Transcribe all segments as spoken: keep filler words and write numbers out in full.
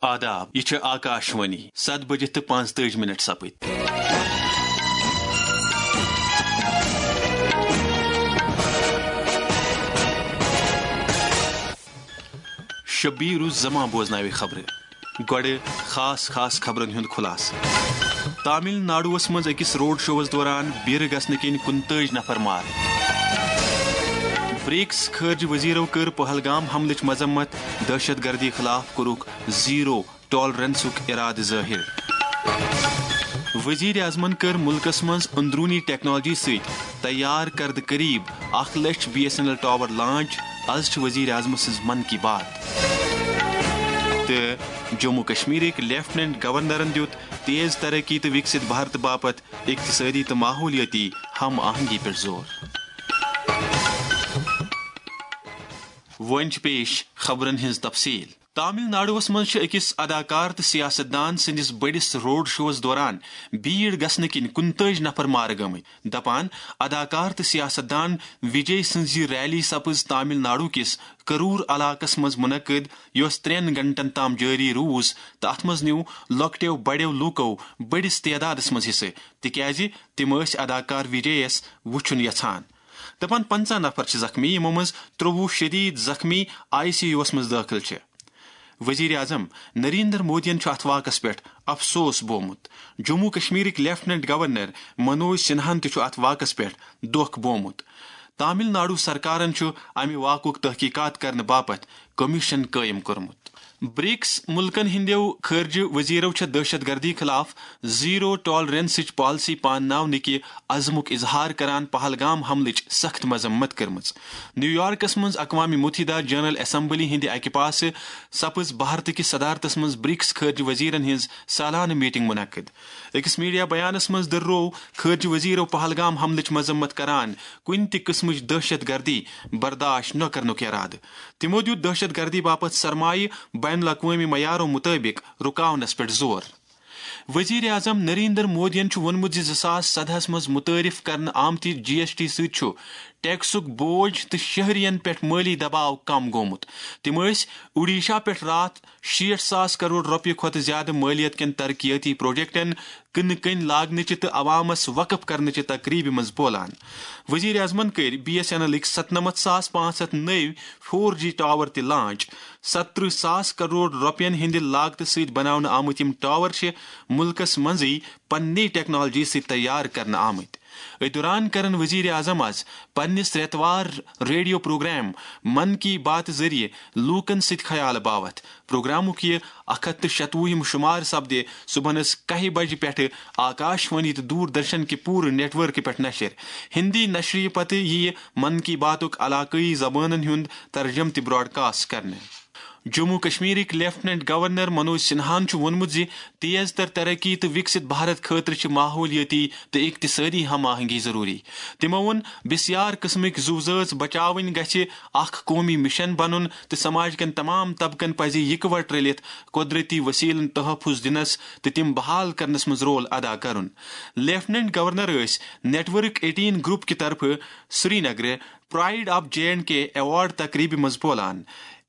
آداب، یہِ چھِ آکاشوانی، ستھ بجے تہٕ پانٛژتٲجی منٹ سپٕدۍ۔ شبیر الزمان بوزناوِ خبرٕ۔ گۄڈٕ خاص خاص خبرن ہُنٛد خلاصہٕ۔ تامل ناڈوَس منٛز أکِس روڈ شوَس دوران بیرٕ گژھنہٕ کِنۍ کُنتٲجۍ نفر مارٕ۔ برکس خارجہ وزیرو کٔر پہلگام حملٕچ مذمت، دہشت گردی خلاف کوٚرُکھ زیرو ٹالرنسُک ارادٕ ظٲہِر۔ وزیر اعظمن کٔر مُلکَس منٛز اندروٗنی ٹیکنالوجی سۭتۍ تیار کردٕ قریب اکھ لچھ B S N L tower launch. از چھِ وزیر اعظم سٕنٛز من کی بات۔ تہٕ جموں کشمیرٕکۍ لیفٹیننٹ گورنرن دیُت تیز ترقی تہٕ وکست بھارت باپتھ اقتصٲدی تہٕ ماحولیٲتی ہم آہنگی پٮ۪ٹھ زور۔ وۄنۍ چھِ پیش خبرن ہٕنٛز تفصیل۔ تامل ناڈوَس منٛز چھِ أکِس اداکار تہٕ سیاست دان سٕنٛدِس بٔڑِس روڈ شوَس دوران بھیڑ گژھنہٕ کِنۍ کُنتٲجۍ نفر مارٕ گٔمٕتۍ۔ دپان، اداکار تہٕ سیاست دان وجے سٕنٛز یہِ ریلی سپٕز تامل ناڈو کِس کرور علاقس منٛز منعقد، یۄس ترٛٮ۪ن گھنٹن تام جٲری روٗز تہٕ اتھ منٛز نیوٗ لۄکٹیو بڑیو لوٗکو بٔڑِس تعدادس منٛز حصہٕ، تِکیازِ تِم ٲسۍ اداکار وجے یَس وُچھُن یژھان۔ دپان، پنٛژاہ نفر چھِ زخمی، یِمو منٛز ترٛۆوُہ شدید زخمی آئی سی یوَس منٛز دٲخل چھِ۔ وزیر اعظم نریندر مودیَن چھُ اتھ واقعس پٮ۪ٹھ افسوس بومُت۔ جموں کشمیرٕکۍ لیفٹیننٹ گورنر منوج سنہاہَن تہِ چھُ اتھ واقعس پٮ۪ٹھ دۄکھ بومُت۔ تامل ناڈو سرکارن چھُ امہِ واقعُک تحقیقات کرنہٕ باپتھ کمیشن قٲیِم کوٚرمُت۔ برکس مُلکن ہٕنٛدیو خارجہ وزیرو چھےٚ دہشت گردی خلاف زیرو ٹالرنسٕچ پالیسی پانناونہٕ کہِ عزمُک اظہار کران پہلگام حملٕچ سخت مذمت کٔرمٕژ۔ نیویارکس منٛز اقوام متحدہ جنرل اسمبلی ہٕنٛدِ اکہِ پاسہٕ سپٕز بھارت کِس صدارتس منٛز برکس خارجہ وزیرن ہٕنٛز سالانہٕ میٹنگ منعقد۔ أکِس میڈیا بیانس منٛز دٔرروو خارجہ وزیرو پہلگام حملٕچ مذمت کران کُنہِ تہِ قٕسمٕچ دہشت گردی برداشت نہ کرنُک ارادٕ۔ تِمو دیُت دہشت گردی باپتھ سرمایہ بین الاقوٲمی معیارو مطٲبق رُکاونس پٮ۪ٹھ زور۔ وزیر اعظم نریندر مودیَن چھُ ووٚنمُت زِ زٕ ساس سدہَس منٛز متعارف کرنہٕ آمتہِ جی ایس ٹی سۭتۍ چھُ ٹیکسُک بوج تہٕ شہرین پٮ۪ٹھ مٲلی دباو کم گوٚمُت۔ تِم ٲسۍ اوڈیشہ پٮ۪ٹھ راتھ شیٹھ ساس کرور رۄپیہِ کھۄتہٕ زیادٕ مٲلیت کٮ۪ن ترقیٲتی پروجیکٹن کٕنہٕ کٔنۍ لاگنٕچہِ تہٕ عوامس وقف کرنٕچہِ تقریبہِ منٛز بولان۔ وزیر اعظمن کٔرۍ بی ایس این ایلٕکۍ ستنمتھ ساس پانٛژھ ہتھ نٔوۍ فور جی ٹاور تہِ لانچ۔ ستترٕہ ساس کرور رۄپین ہٕنٛدِ لاگتہٕ سۭتۍ بناونہٕ آمٕتۍ یِم ٹاور چھِ مُلکس منٛزٕے پننی ٹیکنالوجی سۭتۍ تیار کرنہٕ آمٕتۍ۔ أتھۍ دوران کرن وزیر اعظم از پننِس رٮ۪توار ریڈیو پروگرام من کی بات ذٔریعہٕ لوٗکن سۭتۍ خیال باوتھ۔ پروگرامُک یہِ اکھ ہتھ تہٕ شتوُہِم شمار سپدِ صبحنس کاہہِ بجہِ پٮ۪ٹھٕ آکاش وانی تہٕ دوٗر درشن کہِ پوٗرٕ نیٹ ورکہِ پٮ۪ٹھ نشر۔ ہندی نشرِ پتہٕ یِیہِ من کی باتُک علاقٲیی زبانن ہُنٛد ترجمہٕ تہِ براڈکاسٹ کرنہٕ۔ جموں کشمیرٕکۍ لیفٹیننٹ گورنر منوج سنہاہن چھُ ووٚنمُت زِ تیز تر ترقی تہٕ وکست بھارت خٲطرٕ چھِ ماحولیٲتی تہٕ اقتصٲدی ہم آہنگی ضروٗری۔ تِمو ووٚن، بسیار قٕسمٕکۍ زُو زٲژ بچاوٕنۍ گژھِ اکھ قومی مشن بنُن تہٕ سماج کٮ۪ن تمام طبقن پزِ یکوٹہٕ رٔلِتھ قدرتی وسیلن تحفظ دِنس تہٕ تِم بحال کرنس منٛز رول ادا کرُن۔ لیفٹیننٹ گورنر ٲسۍ نیٹ ورک ایٹین گروپ کہِ طرفہٕ سرینگرٕ pride of J and K award تقریبہِ منٛز بولان۔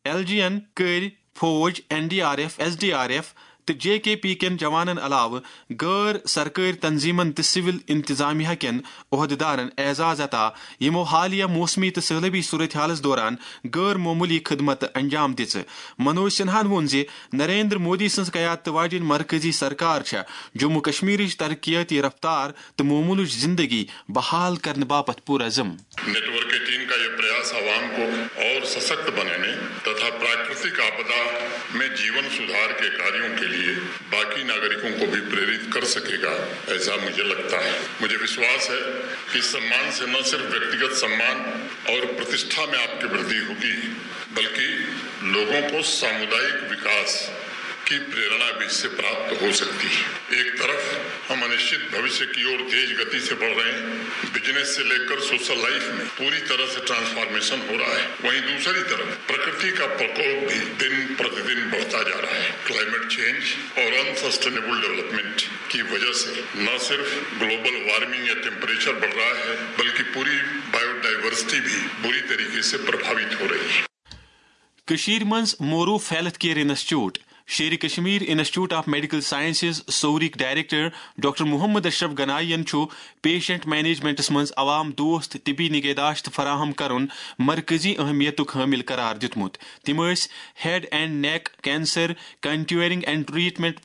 ایل جی این کٔرۍ فوج، N D R F, S D R F تہٕ جے کے پی کٮ۪ن جوانن علاوٕ غٲر سرکٲرۍ تنظیمن تہٕ سول انتظامیہ کٮ۪ن عہدیدارن اعزاز عطا، یِمو حالیہ موسمی تہٕ سہلابی صورتحالس دوران غٲر معموٗلی خدمت انجام دِژٕ۔ منوج سنہاہن ووٚن زِ نریندر مودی سٕنٛز قیادت واجٮ۪ن مرکزی سرکار چھےٚ جموں کشمیرٕچ ترقیاتی رفتار تہٕ معمولٕچ زندگی بحال کرنہٕ باپتھ پُرعزم۔ نیٹ ورک ایٹین کا یہ پریاس عوام کو اور سشکت بنانے تتھا پراکرتک آپدا میں جیون سدھار کے کاریوں کے لیے باقی ناگرکوں کو بھی پریرت کر سکے گا، ایسا مجھے لگتا ہے۔ مجھے وشواس ہے کہ اس سمان سے نہ صرف ویکتیگت سمان اور پرتشٹھا میں آپ کی وردھی ہوگی، بلکہ لوگوں کو سامودائک وکاس کی پریرنا بھی اس سے پراپت ہو سکتی ہے۔ ایک طرف ہم انشچت بھوشیہ کی اور تیز گتی سے بڑھ رہے ہیں، بزنس سے لے کر سوشل لائف میں پوری طرح سے ٹرانسفارمیشن ہو رہا ہے، وہیں دوسری طرف پرکرتی کا پرکوپ بھی دن پرتیدن بڑھتا جا رہا ہے۔ کلائمیٹ چینج اور انسسٹینیبل ڈیولپمنٹ کی وجہ سے نہ صرف گلوبل وارمنگ یا ٹیمپریچر بڑھ رہا ہے، بلکہ پوری بایو ڈائیورسٹی بھی بری طریقے سے پربھاوت ہو رہی ہے۔ کٔشیٖرِ منٛز موروٗ health care institute Sher Kashmir institute of medical sciences سوریک ڈائریکٹر ڈاکٹر محمد اشرف گنائی ین چھُ پیشنٹ مینجمنٹس منٛز عوام دوست طبی نگہداشت فراہم کرُن مرکزی اہمیتُک حٲمل قرار دیُتمُت۔ تِم ٲسۍ head and neck cancer contouring and treatment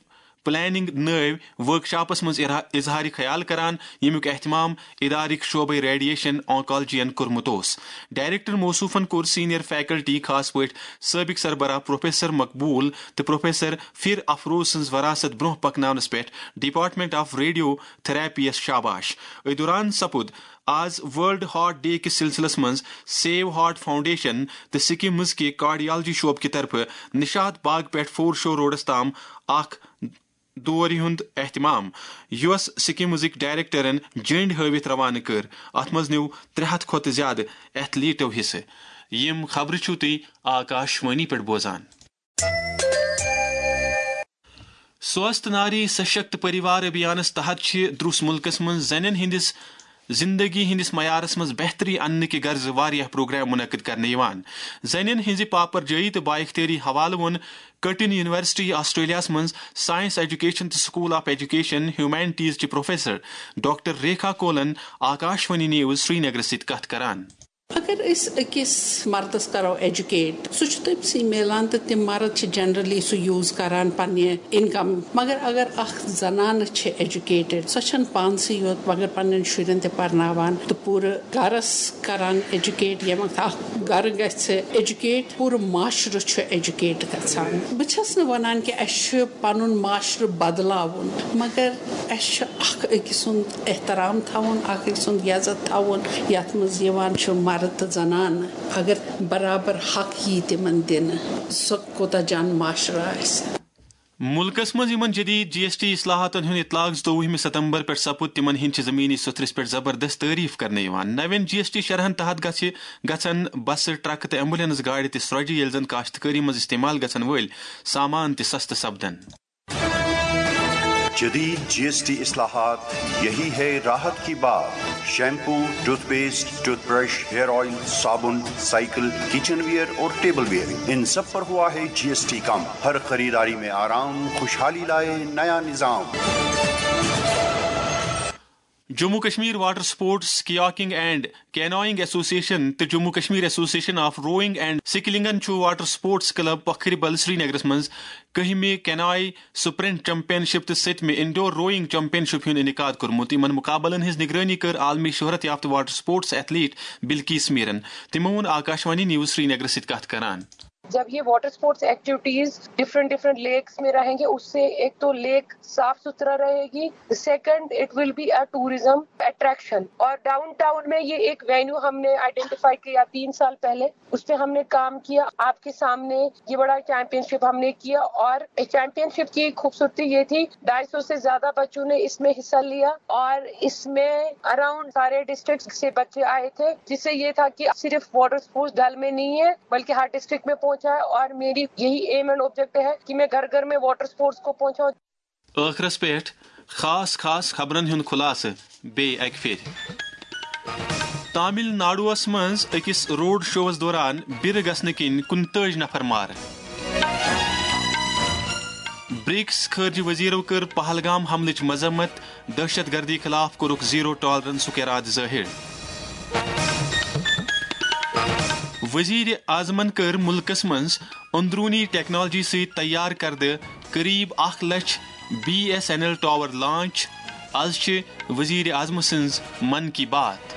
planning نٲوۍ ورکشاپس منٛز ارا-، اظہار خیال کران، ییٚمیُک اہتمام ادارٕک شعبے ریڈیشن آنکالجین کوٚرمُت اوس۔ ڈائریکٹر موصوفن کوٚر سینئر فیکلٹی، خاص پٲٹھۍ سٲبق سربراہ پروفیسر مقبول تہٕ پروفیسر فر افروز سٕنٛز وراثت برونٛہہ پکناونس پٮ۪ٹھ ڈپارٹمنٹ آف ریڈیو تھراپی یس شاباش۔ أتھۍ دوران سپُد آز ورلڈ ہارٹ ڈے کِس سلسلس منٛز سیو ہارٹ فاؤنڈیشن تہٕ سکمز کہِ کارڈیالجی شعبہٕ کہِ طرفہٕ نشاط باغ پٮ۪ٹھ فور شو روڈس تام اکھ دورِ ہُنٛد اہتمام، یۄس سکمزٕکۍ ڈائریکٹرن جٔنڈۍ ہٲوِتھ روانہٕ کٔر۔ اتھ منٛز نیوٗ ترٛےٚ ہتھ کھۄتہٕ زیادٕ ایتھلیٹو حصہٕ۔ یِم خبرٕ چھِو تُہۍ آکاش وانی پٮ۪ٹھ بوزان۔ سوست ناری سشکت پریوار ابھیانس تحت چھِ دروس ملکس منٛز زنٮ۪ن ہٕنٛدِس زندگی ہٕنٛدِس معیارس منٛز بہتری اننہٕ کہِ غرضہٕ واریاہ پروگرام منعقد کرنہٕ یِوان۔ زنٮ۪ن ہٕنٛزِ پاپر جٲیی تہٕ بااختیٲری حوالہٕ ووٚن کٹن یونیورسٹی آسٹریلیاہس منٛز سائنس ایجوکیشن تہٕ سکول آف ایجوکیشن ہیومینٹیز چہِ پروفیسر ڈاکٹر ریکھا کولن آکاشوانی نیوز سرینگرس سۭتۍ کتھ کران۔ اگر أسۍ أکِس مردس کرو ایجوکیٹ، سُہ چھُ تٔمۍ سٕے میلان تہٕ تِم مرد چھِ جنرلی سُہ یوٗز کران پننہِ انکم۔ مگر اگر اکھ زنانہٕ چھِ ایجوکیٹڈ، سۄ چھنہٕ پانسٕے یوت مگر پننٮ۪ن شُرٮ۪ن تہِ پرناوان تہٕ پوٗرٕ گرس کران ایجوکیٹ۔ ییٚمہِ وقتہٕ اکھ گرٕ گژھِ ایجوکیٹ، پوٗرٕ معاشرٕ چھُ ایجوکیٹ گژھان۔ بہٕ چھس نہٕ ونان کہِ اسہِ چھُ پنُن معاشرٕ بدلاوُن، مگر اسہِ چھُ اکھ أکۍ سُنٛد احترام تھاوُن، اکھ أکۍ سُنٛد عزت تھاوُن، یتھ منٛز یِوان چھُ مرد تہٕ زنانہٕ۔ اگر برابر حق یی تِمن دِنہٕ، سُہ کوٗتاہ جان معاشرٕ آسہِ۔ مُلکَس منٛز یِمَن جدید جی ایس ٹی اصلاحاتَن ہُنٛد اطلاق زٕتووُہمہِ ستمبر پٮ۪ٹھ سپُد، تِمَن ہِنٛدۍ چھِ زمینی سطرس پٮ۪ٹھ زبردست تعریف کرنہٕ یِوان۔ نوٮ۪ن جی ایس ٹی شرحَن تحت گژھِ، گژھن بسہٕ، ٹرکہٕ تہٕ ایمبولینس گاڑِ تہِ سرۄجہِ، ییٚلہِ زن کاشتکٲری منٛز استعمال گژھن وٲلۍ سامان تہِ سستہٕ سپدن۔ جدید جی ایس ٹی اصلاحات، یہی ہے راحت کی بات۔ Shampoo, toothpaste, toothbrush, hair oil, صابن، سائیکل، کچن ویئر اور ٹیبل ویئر، ان سب پر ہوا ہے جی ایس ٹی کم۔ ہر خریداری میں آرام، خوشحالی لائے نیا نظام۔ Jammu Kashmir water sports kayaking and canoeing association تہٕ جموں کشمیر ایسوسی ایشن آف روئنگ اینڈ سکلنگن چھُ واٹر سپورٹس کلب پکھربل سرینگرس منٛز کٔہمہِ کینوئے سپرنٹ چیمپین شپ تہٕ ستمہِ انڈور روئنگ چیمپین شپ ہُنٛد انعقاد کوٚرمُت۔ یِمن مقابلن ہٕنٛز نگرٲنی کٔر عالمی شہرت یافتہٕ واٹر سپورٹس ایتھلیٹ بلقیس میرن۔ تِمو ووٚن آکاشوانی نیوز سرینگرس سۭتۍ کتھ کران۔ جب یہ water sports activities different different lakes میں رہیں گے، اس سے ایک تو لیک صاف ستھرا رہے گی، second it will be A tourism attraction, اور ڈاؤن ٹاؤن میں یہ ایک وینیو ہم نے آئیڈینٹیفائی کیا تین سال پہلے، اس پہ ہم نے کام کیا۔ آپ کے سامنے یہ بڑا چیمپئن شپ ہم نے کیا، اور چیمپئن شپ کی خوبصورتی یہ تھی، ڈھائی سو سے زیادہ بچوں نے اس میں حصہ لیا، اور اس میں اراؤنڈ سارے ڈسٹرکٹ سے بچے آئے تھے، جس سے یہ تھا کہ صرف واٹر سپورٹس ڈل میں نہیں ہے بلکہ ہر ڈسٹرکٹ میں پہنچا ہے، اور میری یہی ایم اینڈ آبجیکٹ ہے کہ میں گھر گھر میں واٹر سپورٹس کو پہنچاؤں۔ ٲخرس پٮ۪ٹھ خاص خاص خبرن ہُنٛد خلاصہٕ بیٚیہِ اکہِ پھِرِ۔ تامل ناڈوَس منٛز أکِس روڈ شوَس دوران بِرٕ گژھنہٕ کِنۍ کُنتٲجۍ نفر مارٕ۔ برکس خارجہ وزیرو کٔر پہلگام حملٕچ مذمت، دہشت گردی خلاف کوٚرُکھ زیرو ٹالرنسُک ارادٕ ظٲہِر۔ وزیر اعظمن کٔر مُلکَس منٛز اندرونی ٹیکنالوجی سۭتۍ تیار کردٕ قریب اکھ لچھ B S N L tower launch. از چھِ وزیر اعظم سٕنٛز من کی بات۔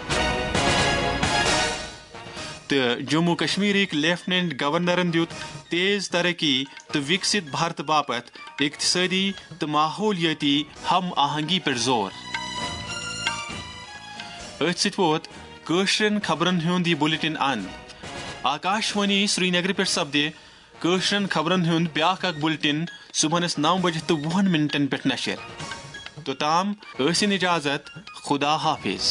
تہٕ جموں کشمیرٕکۍ لیفٹیننٹ گورنرن دیُت تیز ترقی تہٕ وکست بھارت باپتھ اقتصٲدی تہٕ ماحولیٲتی ہم آہنگی پٮ۪ٹھ زور۔ أتھۍ سۭتۍ ووت کٲشرٮ۪ن خبرن ہُنٛد یہِ بُلٹن اند۔ آکاشوانی سرینگرٕ پٮ۪ٹھ سپدِ کٲشرٮ۪ن خبرن ہُنٛد بیٛاکھ اکھ بُلٹن صبحنس نو بجہِ تہٕ وُہن منٹن پٮ۪ٹھ نشر۔ توٚتام ٲسِن اجازت، خدا حافظ۔